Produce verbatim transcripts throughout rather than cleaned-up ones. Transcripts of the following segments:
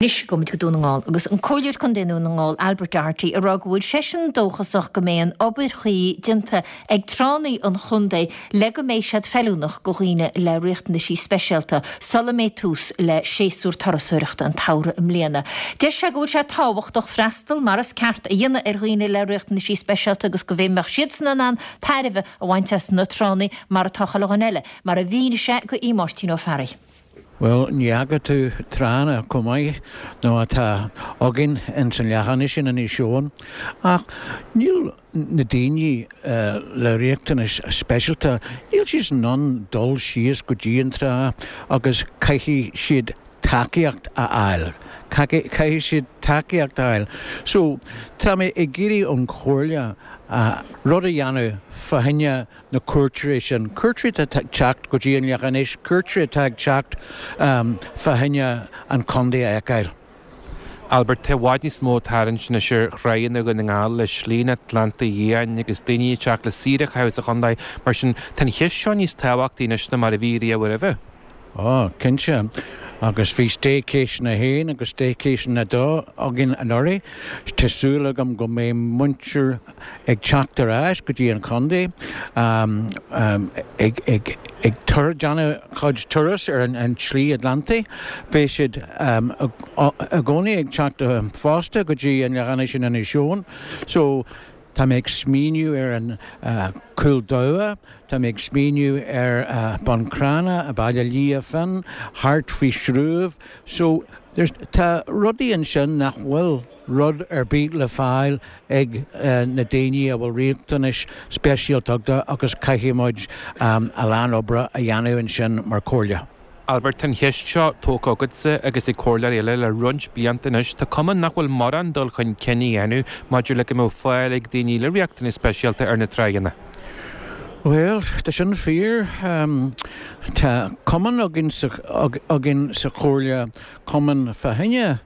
Anois gabhfaimid go Dún na nGall agus an Comhairleoir Contae Dhún na nGall Albert Doherty ag rá go bhfuil seisean dóchasach go mbeidh an obair chuí déanta ag tránna an chontae le go mbeidh siad feiliúnach do dhaoine le riachtanaisí speisialta sula mbeidh tús le séasúr turasóireachta an tsamhraidh i mbliana. Deir sé go bhfuil sé tábhachtach freastal mar is ceart a dhéanamh ar dhaoine le riachtanaisí speisialta agus go mbeadh siadsan in ann tairbhe a bhaint as na tránna mar atá chuile dhuine eile, mar a mhínigh sé go Aodh Máirtín Ó Fearraigh. Bhuel, ní fhaca tú tránna chomh maith nó atá againn ins an Leath-Inis in Inis Eoghain, ach níl na daoine le riachtanais speisialta, níl siad in ann dul síos go dtí an trá agus caithfidh siad tacaíocht a fháil. Caithfidh siad tacaíocht a fháil. So, tá mé ag iarraidh ón Chomhairle rud a dhéanamh fá choinne na cuairteoirí sin, cuairteoirí atá ag teacht go dtí an Leath-Inis, cuairteoirí atá ag teacht fá choinne an contae a fheiceáil. Albert, tá i bhfad níos mó tarraingt anois ar thránna Dhún na nGall le Slí an Atlantaigh Fhiáin agus daoine ag teacht le saoire a chaitheamh sa chontae. Mar sin, tá an cheist seo níos tábhachtaí anois ná mar a bhí riamh roimhe. Ó, cinnte. Agus bhí staycation a haon agus staycation a dó againn anuraidh. Tá súil agam go mbeidh muintir ag teacht ar ais go dtí an chontae ag ag ag déanamh cuid turas ar an tSlí Atlantaigh. Beidh siad i gcónaí ag teacht fosta go dtí an Leath-Inis in Inis Eoghain. So tá mé ag smaoineamh ar an Cúil Dabha, tá mé ag smaoineamh ar Bun Cranncha, Baile Liath Finn, thart faoi Srúibh. So there's tá rudaí ansin nach bhfuil rud ar bith le fáil ag na daoine a bhfuil riachtanais speisialta acu agus caithfidh muid a lán oibre a dhéanamh ansin mar chomhairle. Albert, tá an cheist seo tógtha agatsa agus ag comhairleoirí eile le roinnt blianta anois. Tá cuma nach bhfuil mórán dul chun cinn á dhéanamh maidir le go mbeadh fáil ag daoine le riachtanais speisialta ar na tránna. Bhuel, tá sin fíor. Tá cumann againn sa, againn sa chomhairle, cumann fá choinne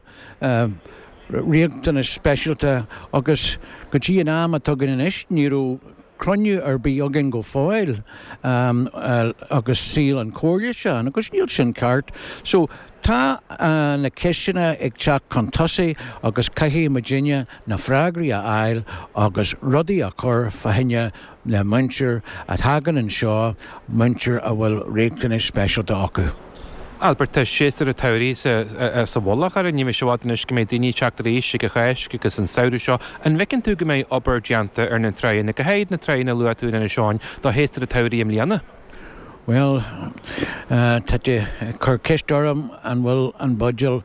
riachtanais speisialta agus go dtí an am atá againn anois ní raibh cruinniú ar bith againn go fóill agus saol an chomhairle seo agus níl sin ceart. So tá na ceisteanna ag teacht chun tosaigh agus caithfidh muidinne na freagraí a fháil agus rudaí a chur fá choinne na muintir a thagann anseo, muintir a bhfuil riachtanais speisialta acu. Albert, tá séasúr an tsamhraidh sa mhullach orainn, ní bheidh sé i bhfad anois go mbeidh daoine ag teacht arís ag an Cháisc agus an samhradh seo. An bhfeiceann tú go mbeidh obair déanta ar na tránna, go háirid na tránna a luaigh tú in Inis Eoghain, do shéasúr an tsamhraidh i mbliana? Bhuel, tá tú ag cur ceist orm an bhfuil an buidéal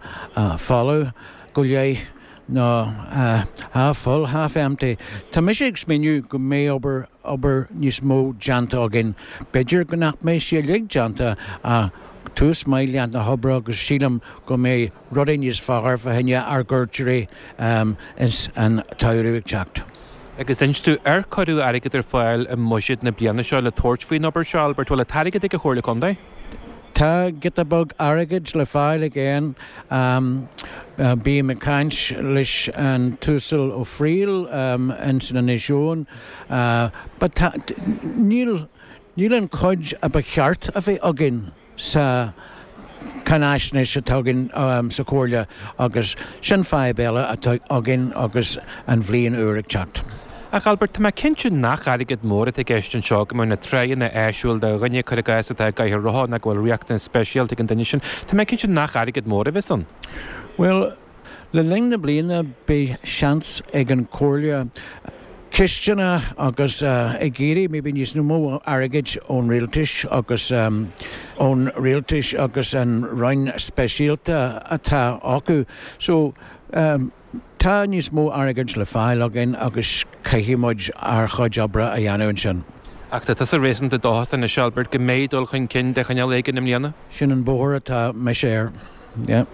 folamh go leith nó half full, half empty. Tá mise ag smaoineamh go mbeidh obair obair níos mó déanta againn. B'fhéidir go nach mbeidh sé uilig déanta ach tús maith leis na hoibre agus sílim go mbeidh rudaí níos fearr fá choinne ár gcuairteoirí ins an tsamhradh ag teacht. Agus d'inis tú ar cuireadh airgead ar fáil i mbuiséad na bliana seo le tabhairt faoin obair seo, Albert, bhfuil an t-airgead ag an Chomhairle Contae? Tá giota beag airgid le fáil again. Bím ag caint leis an tUasal Ó Frighil ins an Inis Eoghain but tá, níl, níl an chuid a ba cheart a bheith againn sa cháinaisnéis atá againn sa Chomhairle agus sin fadhb eile atá againn agus an bhliain úr ag teacht. Ach Albert, tá mé cinnte nach airgead mór atá i gceist anseo, go mbeadh na tránna áisiúil do dhuine, cuir i gcás, atá i gcathaoir rotha nó go bhfuil riachtanas speisialta ag an duine sin. Tá mé cinnte nach airgead mór a bheas ann. Bhuel, Le linn na bliana beidh seans ag an Chomhairle ceisteanna agus ag iarraidh maybe níos mó airgid ón rialtais agus ón rialtais agus an roinn speisialta atá acu. So tá níos mó airgid le fáil againn agus caithfidh muid ár chuid oibre a dhéanamh ansin. Ach tá tusa réasúnta dóchasach anois, Albert, go mbeidh dul chun cinn de chineál éigin i mbliana? Sin an bóthar atá mise air, yeah.